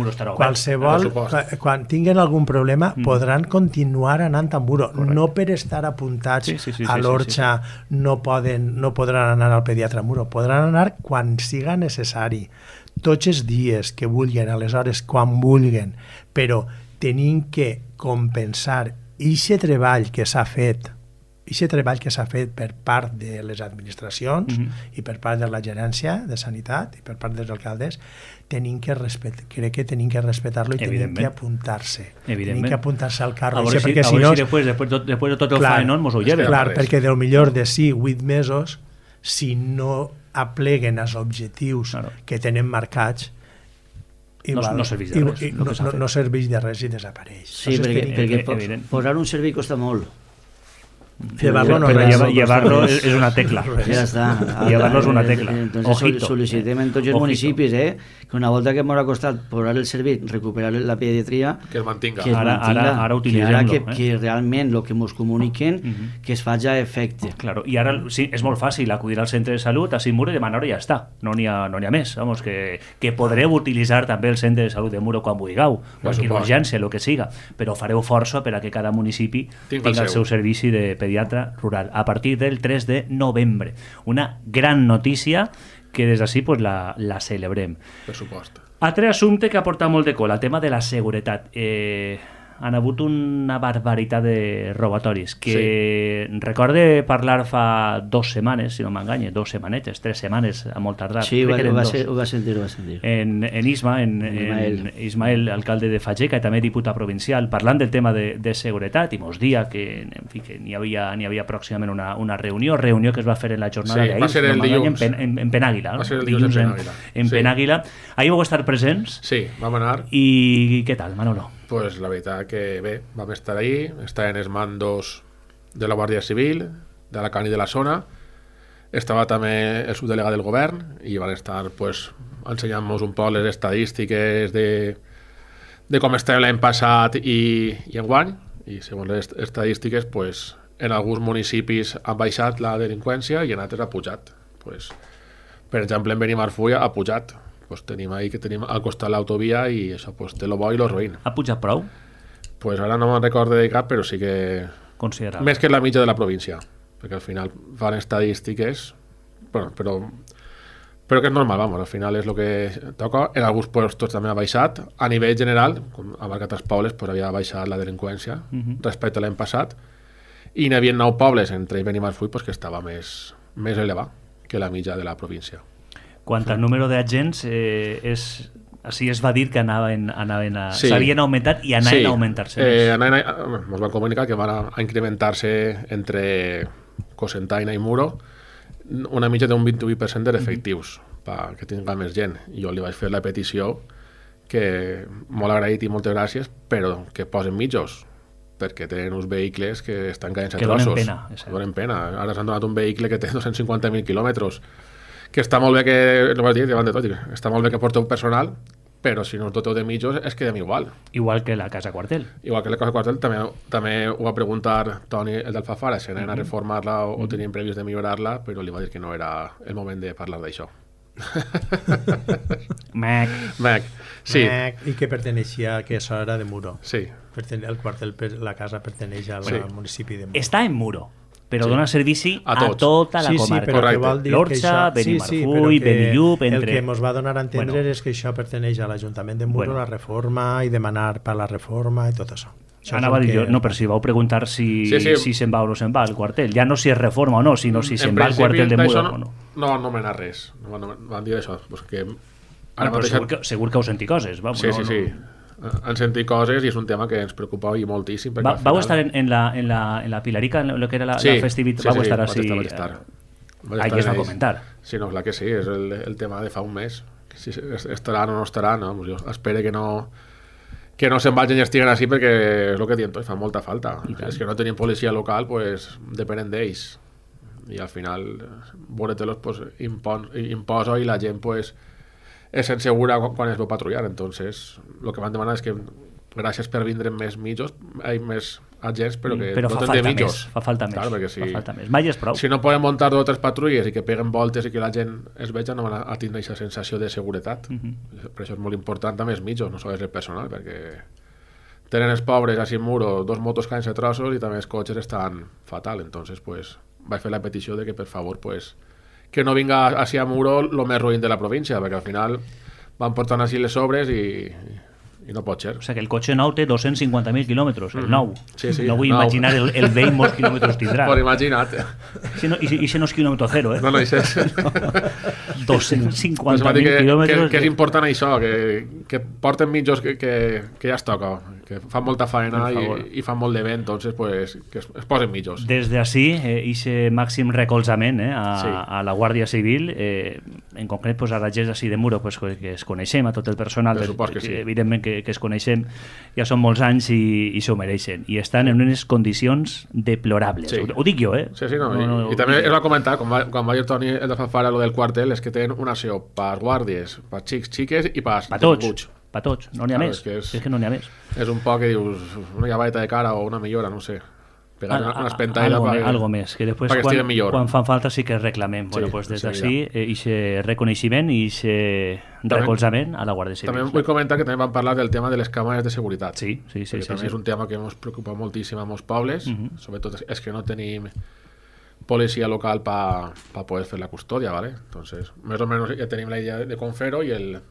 S4: quan tinguin algun problema, podran continuar anant a Muro. No per estar apuntats a l'Orxa no podran anar al pediatre a Muro, podran anar quan siga necessari, tots els dies que vulguin, a les hores quan vulguin, però tenim que compensar aquest treball que s'ha fet per part de les administracions i per part de la gerència de sanitat i per part dels alcaldes, crec que tenim que respectar-lo i tenim que apuntar-se. Tenim que apuntar-se al carro.
S1: A veure si després de tot el faenón mos ho lleven.
S4: Clar, perquè del millor de 8 mesos, si no apleguen els objectius que tenen marcats,
S1: no serveix de res.
S4: No serveix de res i desapareix.
S5: Sí, perquè posar un servei costa molt.
S4: Llevarlo no
S1: llevarlo és una tecla.
S5: Ja està.
S1: Llevarlo és una tecla.
S5: Entonces sol·licitem en tots els municipis que una volta que m'ha costat posar el servei, recuperar la pediatria,
S6: que es mantinga.
S1: Ara utilitzem-lo.
S5: Que realment el que ens comuniquen que es faci a efecte.
S1: Claro, i ara sí, és molt fàcil acudir al centre de salut, a Muro i demanar-ho i ja està. No n'hi ha més. Vamos, que podreu utilitzar també el centre de salut de Muro quan vulgueu, qualsevol urgència, el que siga, però fareu força per a que cada municipi tingui el seu servici de pediatre rural a partir del 3 de novembre. Una gran notícia que des d'ací la celebrem.
S6: Per supost.
S1: Altre assumpte que ha portat molt de cola, el tema de la seguretat. Han hagut una barbaritat de robatoris que recorde parlar fa 2 setmanes, si no m'enganye, 2 setmanetes, 3 setmanes a molt tardar.
S5: Sí, ho va sentir.
S1: En Ismael, alcalde de Fageca i també diputat provincial, parlant del tema de seguretat i mos dia que n'hi havia pròximament una reunió que es va fer en la jornada d'ahir,
S6: va ser el dilluns
S1: en Penàguila,
S6: va ser el dilluns
S1: en Penàguila. Ahir vau estar presents?
S6: Sí, vam anar.
S1: I què tal, Manolo?
S6: Pues la veritat que bé, vam estar ahí, estaven els mandos de la Guàrdia Civil, de la CAN i de la zona, estava també el subdelegat del govern i van estar pues, ensenyant-nos un poc les estadístiques de com estava l'any passat i enguany, i segons les estadístiques pues, en alguns municipis han baixat la delinqüència i en altres ha pujat. Pues, per exemple, en Benimarfull ha pujat. Pues tenim al costat l'autovia i això pues, té lo bo i lo ruïn.
S1: Ha pujat prou?
S6: Pues ara no me'n recordo de cap, però sí que...
S1: Considerable.
S6: Més que la mitja de la província, perquè al final fan estadístiques, bueno, però que és normal, vamos, al final és el que toca. En alguns puestos també ha baixat. A nivell general, com ha marcat els pobles, pues havia baixat la delinqüència respecte a l'any passat, i n'hi havia 9 pobles, entre ells Benimarfull, pues, que estava més elevat que la mitja de la província.
S1: Quant al número d'agents, així es va dir que s'havien augmentat i anaven a augmentar-se més.
S6: Ens van comunicar que van a incrementar-se entre Cocentaina i Muro una mitja d'un 28% d'efectius perquè tinga més gent. Jo li vaig fer la petició que molt agraït i moltes gràcies, però que posen mitjos, perquè tenen uns vehicles que estan caient a trossos. Donen pena. Ara s'han donat un vehicle que té 250.000 quilòmetres, que està molt bé que, no vas dir, davant de tot, està molt bé que porteu personal, però si no us doteu de mitjos es quedem igual.
S1: Igual que la Casa Quartel.
S6: Igual que la Casa Quartel, també ho va preguntar Toni, el d'Alfafara, si anaven a reformar-la o tenien previst de millorar-la, però li va dir que no era el moment de parlar d'això.
S1: Mac.
S6: Sí.
S4: I que perteneixia, que això era de Muro.
S6: Sí.
S4: El quartel, la casa perteneix al municipi de Muro.
S1: Està en Muro, però dona servici a tota la comarca.
S4: L'Orxa,
S1: Benimarfull, Benillup...
S4: El que ens va donar a entendre és que això perteneix a l'Ajuntament de Muro, la reforma, i demanar per la reforma i tot això.
S1: Anava a dir jo, no, però si vau preguntar si se'n va o no se'n va el quartel. Ja no si es reforma o no, sinó si se'n va el quartel de Muro o no.
S6: No van nomenar res. No van dir això.
S1: Segur que heu sentit coses.
S6: Sí. Han sentit coses i és un tema que ens preocupa i moltíssim.
S1: Vau estar en la Pilarica, en el que era la festivitat? Vau estar així? Aquí es va comentar.
S6: Sí, no, clar que sí, és el tema de fa un mes. Si estaran o no estaran, jo espero que no se'n vagin i estiguen així, perquè és el que diem tots, fa molta falta. És que no tenim policia local, pues depenen d'ells. I al final, Boretelos pues, imposa i la gent pues, és insegura quan es veu patrullar. Entonces, el que van demanar és que gràcies per vindre més mitjos, més agents, però que
S1: no
S6: tenen de mitjos.
S1: Fa falta més.
S6: Claro,
S1: fa falta més. Mai és prou.
S6: Si no poden muntar 2 o 3 patrulles i que peguen voltes i que la gent es veja, no van a tindre aquesta sensació de seguretat. Per això és molt important també els mitjos, no sols el personal, perquè tenen els pobres així en Muro 2 motos caen a trossos i també els cotxes estan fatal. Entonces, pues, vaig fer la petició de que, per favor, pues, que no vinga així a Muro el més ruïn de la província, perquè al final van portant així les sobres i no pot ser.
S1: O sigui que el cotxe nou té 250.000 quilòmetres, el nou.
S6: Sí,
S1: no vull imaginar el vell molts quilòmetres tindrà.
S6: Por imagina't.
S1: I no és quilòmetre zero,
S6: No, això és...
S1: 250.000 quilòmetres...
S6: Que és important això, que porten mitjos que ja es toca, que fan molta faena i fan molt de vent, entonces pues, que es posen mitjos.
S1: Des d'ací, ixe màxim recolzament a la Guàrdia Civil, en concret pues, a la gent d'ací de Muro, pues, que es coneixem, a tot el personal, evidentment que es coneixem, ja són molts anys i s'ho mereixen, i estan en unes condicions deplorables. Ho dic jo,
S6: Sí, no. I també es va comentar, quan va dir Toni el de Fanfara, lo del quartel, és que tenen una acció per guàrdies, per xiques i per
S1: tots. Per tots, no n'hi ha més. És que no n'hi ha més.
S6: És un poc que dius, una llaveta de cara o una millora, no sé. Pegar una espentaida
S1: algo més, que després quan fan falta sí que reclamem. Bueno, pues des d'ací, aquest reconeixement i aquest recolzament a la Guàrdia Civil.
S6: També vull comentar que també vam parlar del tema de les càmeres de seguretat.
S1: Sí.
S6: També és un tema que ens preocupa moltíssim a molts pobles, sobretot és que no tenim policia local per poder fer la custòdia, ¿vale? Entonces, més o menys ja tenim la idea de com fer-ho i el...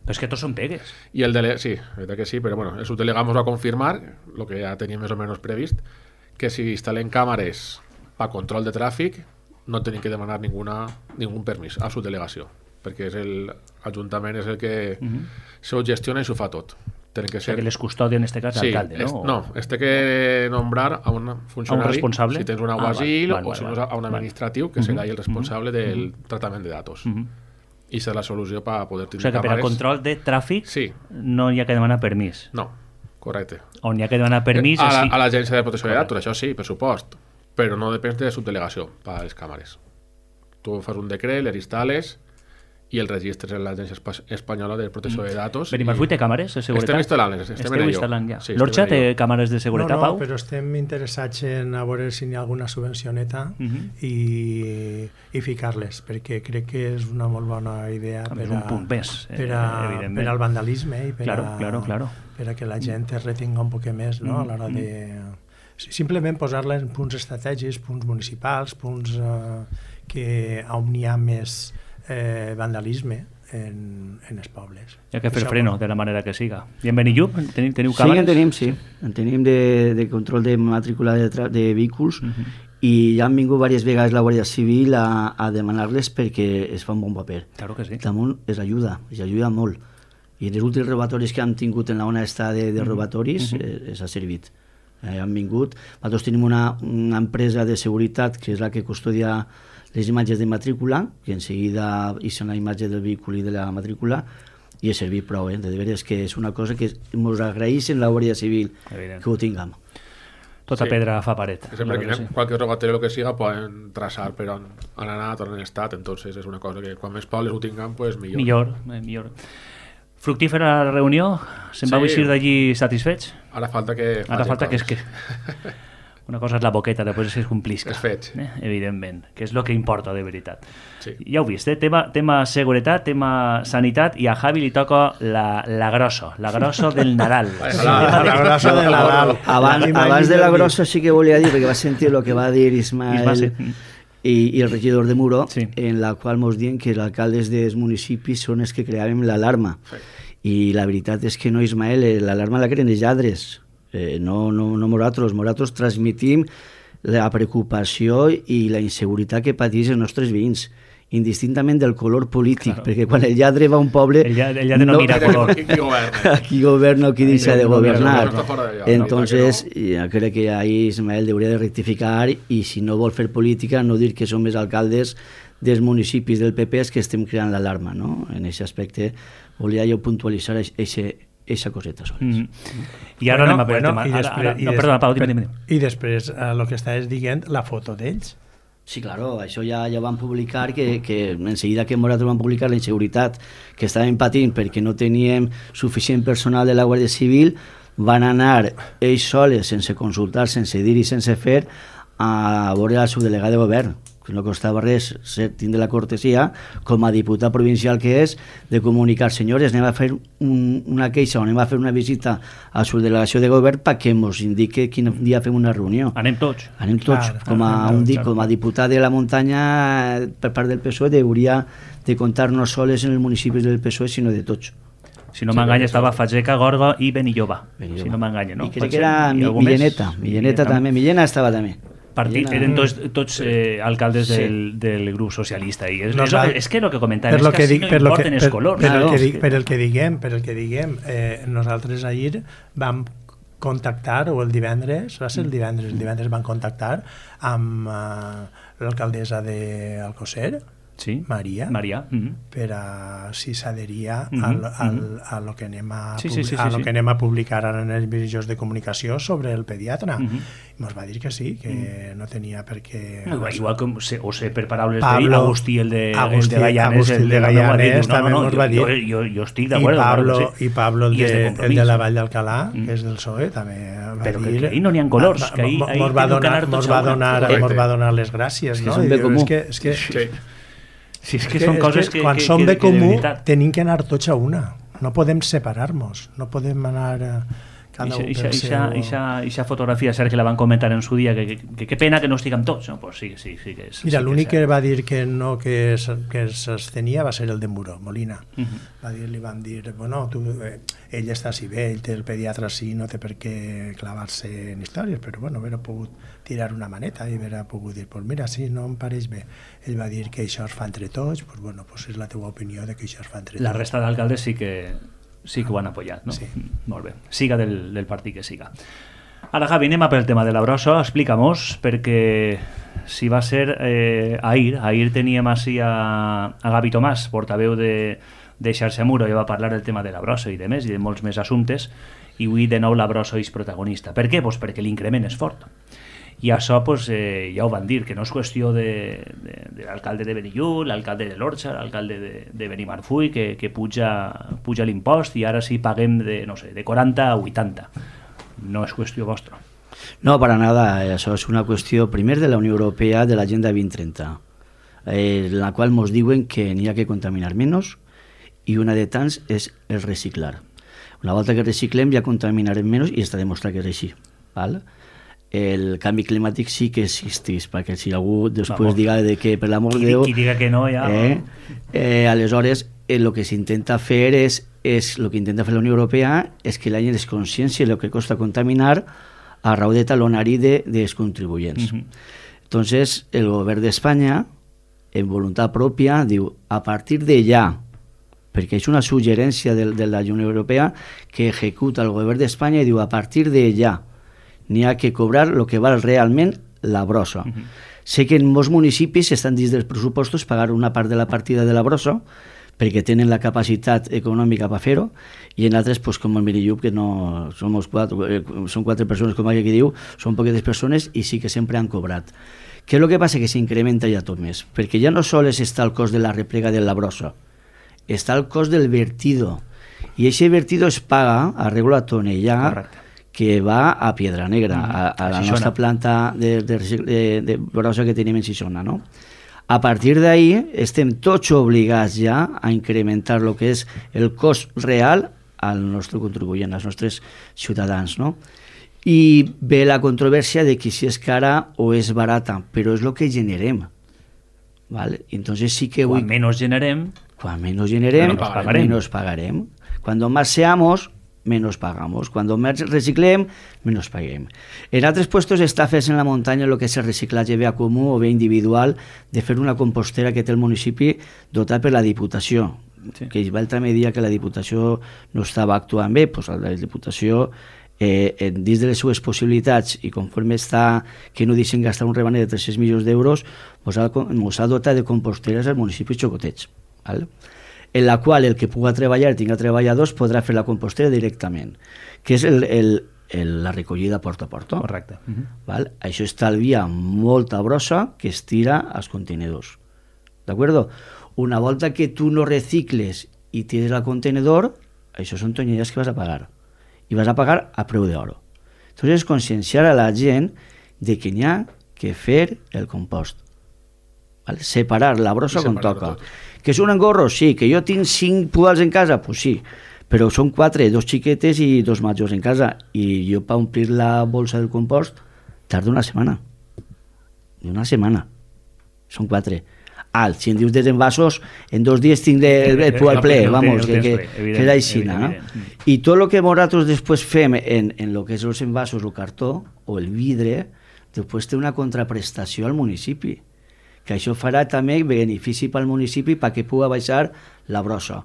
S1: Però és que tots són pegues.
S6: I el sí, la veritat que sí, però bueno, el subdelegam ens va confirmar, el que ja teníem més o menys previst, que si instal·lem càmeres per control de tràfic no tenim que demanar ningún permís a subdelegació, perquè l'Ajuntament és el que s'ho gestiona i s'ho fa tot.
S1: Que ser... O sigui, que les custòdia en aquest cas l'alcalde, no?
S6: No, té que nombrar a un funcionari,
S1: responsable?
S6: Si tens un alguacil o si no a un administratiu, que serà el responsable del tractament de datos. I serà la solució per poder tindre càmeres. O sigui que per
S1: al control de tràfic no hi ha que demanar permís.
S6: No, correcte.
S1: On hi ha que demanar permís...
S6: A l'Agència de Protecció de Datos, això sí, per supost, però no depèn de subdelegació per a les càmeres. Tu fas un decret, les instal·les i el registres en l'Agència Espanyola de Protecció de Datos.
S1: Benimarfull té càmeres de seguretat?
S6: Estem instal·lant
S1: ja. L'Orxa té càmeres de seguretat, Pau?
S4: No, però estem interessats en a veure si hi ha alguna subvencioneta i ficar-les, perquè crec que és una molt bona idea per al vandalisme i per a que la gent es retinga un poc més a l'hora de... Simplement posar-la en punts estratègics, punts municipals, punts on hi ha més vandalisme en els pobles.
S1: Hi ha que fer freno de la manera que siga. I en Benillup teniu càmeres?
S5: Sí, en tenim de control de matrícula de vehicles i ja han vingut diverses vegades la Guàrdia Civil a demanar-les perquè es fa un bon paper.
S1: Claro que sí.
S5: Damunt es ajuda molt. I en els últims robatoris que han tingut en la ona de robatoris es ha servit. Han vingut. Nosaltres tenim una empresa de seguretat que és la que custodia les imatges de matrícula, que en seguida hi són la imatge del vehicle i de la matrícula, i és servir prou, de veres que és una cosa que ens agraeixen la Guàrdia Civil que ho tinguem.
S1: Tota pedra fa paret.
S6: Sempre que qualque rogatero o lo que siga poden traçar per on han anat, on han estat, entonces és una cosa que quan més pobles ho tinguem, pues millor.
S1: Millor. Fructífera la reunió? Se'n vau eixir d'allí satisfets?
S6: Ara falta que
S1: és que... Una cosa és la boqueta, després es complisca.
S6: Els fets.
S1: Evidentment, que és el que importa de veritat.
S6: Sí.
S1: Ja ho vist, tema seguretat, tema sanitat, i a Javi li toca la grossa del Nadal.
S4: La grossa del Nadal.
S5: Abans de la grossa sí que volia dir, perquè va sentir el que va dir Ismael i el regidor de Muro, en la qual ens diuen que els alcaldes dels municipis són els que creàvem l'alarma. I la veritat és que no, Ismael, l'alarma la creen els lladres. No nosaltres transmitim la preocupació i la inseguretat que pateix els nostres veïns, indistintament del color polític, perquè quan el lladre va a un poble...
S1: El lladre no mira color.
S5: Qui governa o qui deixa de governar. Entonces, jo crec que ahí Ismael hauria de rectificar i si no vol fer política, no dir que som els alcaldes dels municipis del PP que estem creant l'alarma, no? En aquest aspecte volia jo puntualitzar eixa coseta sols.
S1: I ara anem a per el tema. Perdona, Pau, dime.
S4: I després, el que estàs dient, la foto d'ells.
S5: Sí, claro, això ja van publicar, que en seguida que nosaltres van publicar la inseguretat que estàvem patint perquè no teníem suficient personal de la Guàrdia Civil, van anar ells soles, sense consultar, sense dir i sense fer, a veure el subdelegat de govern, que no costava res tindre la cortesia, com a diputat provincial que és, de comunicar, senyores, anem a fer una queixa o anem a fer una visita a la subdelegació de govern perquè ens indique quin dia fem una reunió.
S1: Anem tots.
S5: Com a diputat de la muntanya per part del PSOE hauria de comptar no sols en els municipis del PSOE, sinó de tots.
S1: Si no m'enganya, estava Fageca, Gorga i Benilloba. Si no m'enganya, no?
S5: I crec que era Milleneta també. Millena estava també.
S1: Eren tots alcaldes del grup socialista. I és que el que comentàvem és que no importen els colors.
S4: Per el que diguem, nosaltres ahir vam contactar, o el divendres van contactar amb l'alcaldessa d'Alcosser, Maria, per a si s'adheria a lo que anem a publicar ara en els mitjans de comunicació sobre el pediatre. Ens va dir que sí, que no tenia per què...
S1: Igual com, o sé per paraules d'Agustí, el de Gallanes,
S4: també ens va dir.
S1: Jo estic d'acord.
S4: I Pablo, el de la Vall d'Alcalà, que és del PSOE, també va dir...
S1: Però que ahir no n'hi ha colors, que ahir
S4: mos va donar les gràcies, no?
S1: Si és que són coses que...
S4: Quan som de comú, tenim que anar tots a una. No podem separar-nos. No podem anar cada un per seu...
S1: Ixa fotografia, cert que la van comentar en su dia, que pena que no estiguem tots. Pues sí que és.
S4: Mira, l'únic que va dir que no, que s'estenia va ser el de Muro, Molina. Li van dir, bueno, ell està així bé, ell té el pediatre així, no té per què clavar-se en històries, però bueno, haver pogut tirar una maneta i haver pogut dir, pues mira, sí, no em pareix bé. Ell va dir que això es fa entre tots, pues bueno, pues és la teva opinió de que això es fa entre tots.
S1: La resta d'alcaldes sí que ho han apoyat, no?
S4: Sí.
S1: Molt bé. Siga del partit que siga. Ara, Javi, anem a pel tema de la brossa. Explica-mos, perquè si va ser ahir teníem així a Gavi Tomàs, portaveu de Xarxa Muro, i va parlar del tema de la brossa i de més, i de molts més assumptes, i avui de nou la brossa és protagonista. Per què? Pues perquè l'increment és fort. I això ja ho van dir, que no és qüestió de l'alcalde de Benillup, l'alcalde de l'Orxa, l'alcalde de Benimarfull, que puja l'impost i ara sí paguem de 40 a 80. No és qüestió vostra.
S5: No, para nada. Això és una qüestió, primer, de la Unió Europea, de l'Agenda 2030, en la qual ens diuen que n'hi ha que contaminar menys i una de tants és el reciclar. Una volta que reciclem ja contaminarem menys i està demostrat que és així. Val? El canvi climàtic sí que existeix, perquè si algú després diga que per l'amor de Déu...
S1: Qui diga que no, ja...
S5: Aleshores, el que s'intenta fer és el que intenta fer la Unió Europea és que la gent es consciència del que costa contaminar a raó de talonari dels contribuents. Entonces, el govern d'Espanya, en voluntat pròpia, diu, a partir de ja, perquè és una suggerència de la Unió Europea que executa el govern d'Espanya i diu, a partir de ja, n'hi ha que cobrar el que val realment la brossa. Sé que en molts municipis estan dins dels pressupostos pagar una part de la partida de la brossa, perquè tenen la capacitat econòmica per fer-ho, i en altres, pues, com el Mirillub, que no són 4 persones, com aquí diu, són poques persones i sí que sempre han cobrat. Què és el que passa? Que s'incrementa ja tot més, perquè ja no sols està el cost de la replega de la brossa, està el cost del vertido, i aquest vertido es paga, arreglo a tonellà,
S1: Correcte.
S5: que va a Piedra Negra, a la nostra planta de brossa que tenim en Xixona, no? A partir d'ahí estem tots obligats ja a incrementar el que és el cost real al nostre contribuent, als nostres ciutadans, no? I ve la controvèrsia de que si és cara o és barata, però és el que generem. ¿Vale? Entonces sí que
S1: Quan menos generem,
S5: menos pagarem. Cuando más seamos, menos pagamos. Cuando más reciclem, menos paguem. En altres puestos està fent en la muntanya el que és el reciclatge bé comú o bé individual de fer una compostera que té el municipi dotat per la Diputació. Sí. Que l'altre dia que la Diputació no estava actuant bé, doncs la Diputació dins de les seues possibilitats i conforme està que no deixen gastar un rebaner de 300 milions d'euros, ens ha dotat de composteres als municipis xocotets, ¿vale? En la qual el que puga treballar, tinga treballadors, podrà fer la compostera directament, que és la recollida porta a porta.
S1: correcte.
S5: ¿Vale? Això estalvia molta brossa que es tira als contenedors. ¿D'acord? Una volta que tu no recicles i tires al contenedor, això són tonellas que vas a pagar. I vas a pagar a preu d'oro. Entonces, conscienciar a la gent de que n'hi ha que fer el compost. ¿Vale? Separar la brossa com toca. Que són engorros? Sí. Que jo tinc 5 pudals en casa? Pues sí. Però són 4, 2 xiquetes i 2 majors en casa. I jo per omplir la bolsa del compost tardo una setmana. Una setmana. Són 4. Si em dius dels envasos, en 2 dies tinc el pudal ple, vamos, que és així, no? I tot el que nosaltres després fem en el que és els envasos, el cartó o el vidre, després té una contraprestació al municipi, que això farà també benefici pel municipi perquè pugui baixar la brossa.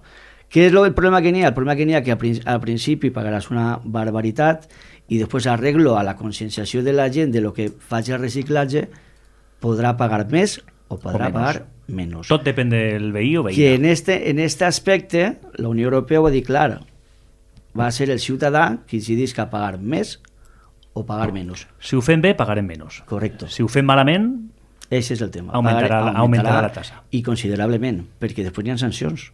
S5: Què és el problema que n'hi ha? El problema que n'hi ha que al principi pagaràs una barbaritat i després arreglo a la conscienciació de la gent de lo que faci el reciclatge podrà pagar més o podrà pagar menys.
S1: Tot depèn del veí o veïna.
S5: Que en este aspecte la Unió Europea ho va dir clar, va ser el ciutadà qui decidís que pagar més o pagar menys.
S1: Si ho fem bé, pagarem menys.
S5: Correcte.
S1: Si ho fem malament,
S5: ese és el tema.
S1: Augmentarà la tassa.
S5: I considerablement, perquè després hi ha sancions.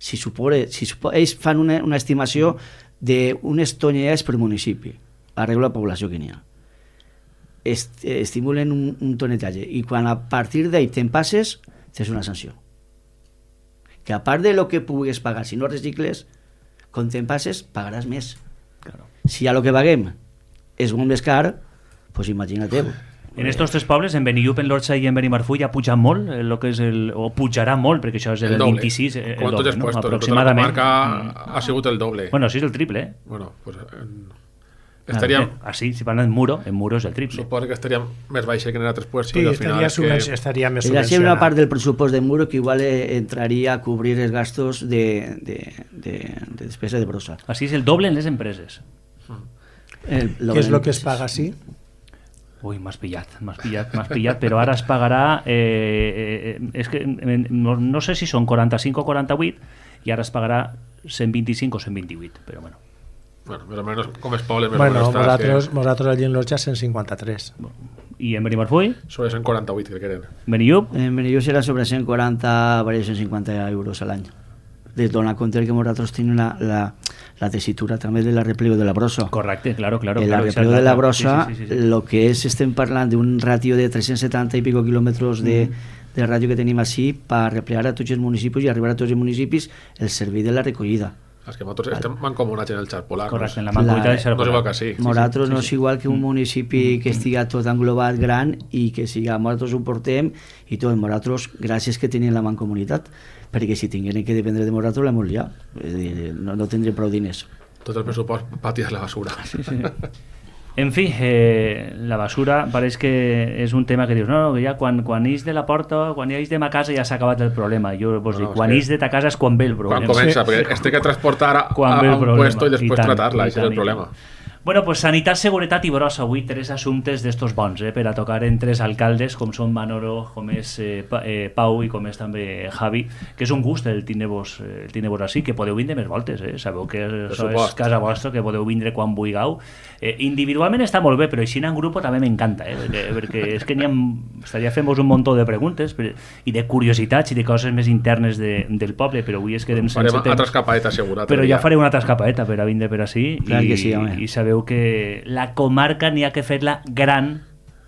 S5: Si ells fan una estimació d'unes tonelades per municipi, arreglo la població que n'hi ha. Estimulen un tonetatge i quan a partir d'ahí te'n passes tens una sanció que a part de lo que pugues pagar si no recicles, quan te'n passes pagaràs més. Claro. Si a lo que paguem és molt més car, pues imagina't.
S1: En estos 3 pobles, en Benillup, en l'Orxa i en Benimarfull, ha pujat molt, o pujarà molt, perquè això és el 26, el doble, no? Aproximadament.
S6: La comarca ha sigut el doble.
S1: Bueno, sí, és el triple.
S6: Bueno, pues estaríem...
S1: Así, si parlen en muro és el triple.
S6: Suposo que estaríem més baixa que en altres puestos.
S4: Sí,
S6: al final
S4: estaria més subvencionat.
S5: Seria una part del pressupost de muro que igual entraria a cobrir els gastos de despesa de brossa.
S1: Així és el doble en les empreses.
S4: Què és el que es paga així?
S1: Ui, m'has pillat, però ara es pagarà, és que no sé si són 45 o 48 i ara es pagarà 125 o 128, però bueno.
S6: Bueno, més o menys com es poble,
S4: nosaltres allí en l'Orxa 153.
S1: I en Benimarfull?
S6: Sobre 148, crec que eren.
S1: Benillup?
S5: En Benillup serà sobre 140, varia 150 euros a l'any. De donar compte que nosaltres tenim la tessitura també de la replego de la brossa.
S1: Correcte, claro.
S5: La replego de la brossa, lo que és, estem parlant d'un ràtio de 370 i pico quilòmetres de ràdio que tenim així per replegar a tots els municipis i arribar a tots els municipis el servei de la recollida.
S6: És que nosaltres estem mancomunats en el xarp polar.
S1: Correcte, en la mancomunitat del xarp polar.
S6: No és igual que sí.
S5: Nosaltres no és igual que un municipi que estiga tot englobat gran i que siga, nosaltres ho portem i tot, nosaltres, gràcies que tenim la mancomunitat, perquè si tingueren que dependre de nosaltres l'hem liat, no tindrem prou diners.
S6: Tot el pressupost per tirar la basura.
S1: Sí. En fi, la basura pareix que és un tema que dius, no, que ja quan ix de la porta, quan ix de ma casa ja s'ha acabat el problema. Jo vos dic, quan ix de ta casa és quan ve el problema.
S6: Quan comença, perquè es té que transportar a un puesto i després tratar-la, això és el problema.
S1: Bueno, pues sanitat, seguretat i brossa. Avui tres assumptes d'estos bons, per a tocar en tres alcaldes, com són Manolo, com és Pau i com és també Javi, que és un gust el tindre-vos així, que podeu vindre més voltes, sabeu que això és casa vostra, que podeu vindre quan vulgueu. Individualment està molt bé, però així en grup també m'encanta, perquè és que estaria fent-vos un muntó de preguntes i de curiositats i de coses més internes del poble, però avui es quedem sense temps.
S6: Farem altra escapadeta, segur.
S1: Però ja faré una altra escapadeta per a vindre per així.
S5: Clar que sí, home.
S1: I sabeu que la comarca n'hi ha que fer-la gran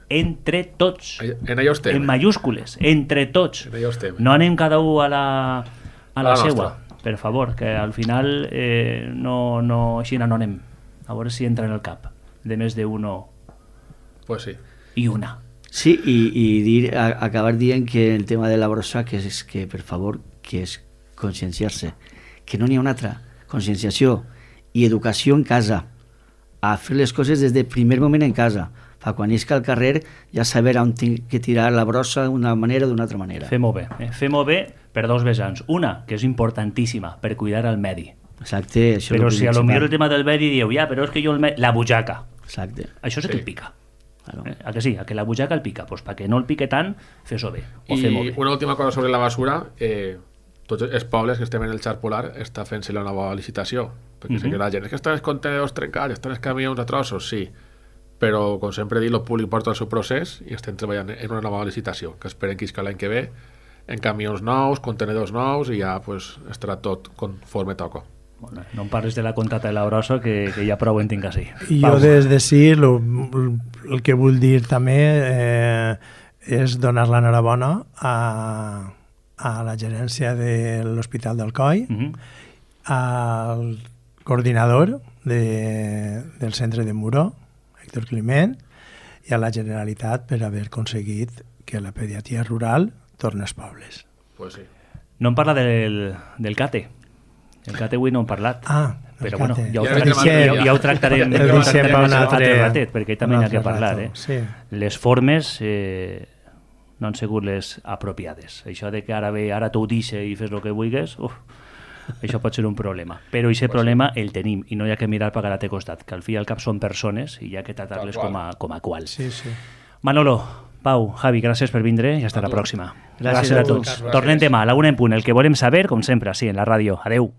S1: entre tots.
S6: En allò estem.
S1: En mayúscules, entre tots.
S6: En allò estem.
S1: No anem cada un a la seua,
S6: nostra.
S1: per favor, que al final així no anem. A veure si entra en el cap de més d'uno
S6: Pues sí.
S1: i una.
S5: Sí, i acabar dient que el tema de la brossa, que és que, per favor, que és conscienciar-se, que no n'hi ha una altra. Conscienciació i educació en casa, a fer les coses des del primer moment en casa, fa quan isca al carrer ja saber on tinc que tirar la brossa d'una manera o d'una altra manera.
S1: Fem-ho bé. Fem-ho bé per dos vessants. Una, que és importantíssima, per cuidar el medi.
S5: Exacte. Això
S1: Però si a lo millor el tema del medi dieu, però és que jo la butxaca.
S5: Exacte.
S1: Això sí que el pica.
S5: Claro.
S1: A que sí? A que la butxaca el pica? Pues perquè no el pique tant, fes-ho bé. O fem-ho
S6: I
S1: bé.
S6: una última cosa sobre la basura, tots els pobles que estem en el xar polar està fent-se la nova licitació, perquè sé que la gent és que estan els contenedors trencats, estan els camions a trossos, sí, però com sempre he dit, el públic porta el seu procés i estem treballant en una nova licitació que esperem que isca l'any que ve en camions nous, contenedors nous i ja pues, estarà tot conforme toca.
S1: Bueno, no em parles de la contrata de la brossa, que ja prou en tinc així.
S4: I jo des de sí el que vull dir també és donar l'enhorabona a la gerència de l'Hospital d'Alcoi, al coordinador del centre de Muro, Héctor Climent, i a la Generalitat per haver aconseguit que la pediatria rural torni als pobles.
S6: Pues sí.
S1: No em parla del CATE. El CATE avui no hem parlat. Però bueno, ja ho tractarem
S4: el deixem per un altre
S1: ratet, perquè també n'hi ha que parlar.
S4: Sí.
S1: Les formes no han sigut les apropiades. Això de que ara tu ho deixes i fes el que vulguis, això pot ser un problema. Però aquest problema el tenim i no hi ha que mirar per a l'altre costat, que al fi i al cap són persones i hi ha que tractar-les com a quals.
S4: Sí, sí.
S1: Manolo, Pau, Javi, gràcies per vindre i hasta la pròxima.
S5: Gràcies a tots.
S1: Tornem demà a la 1 en punt. El que volem saber, com sempre, així en la ràdio. Adeu.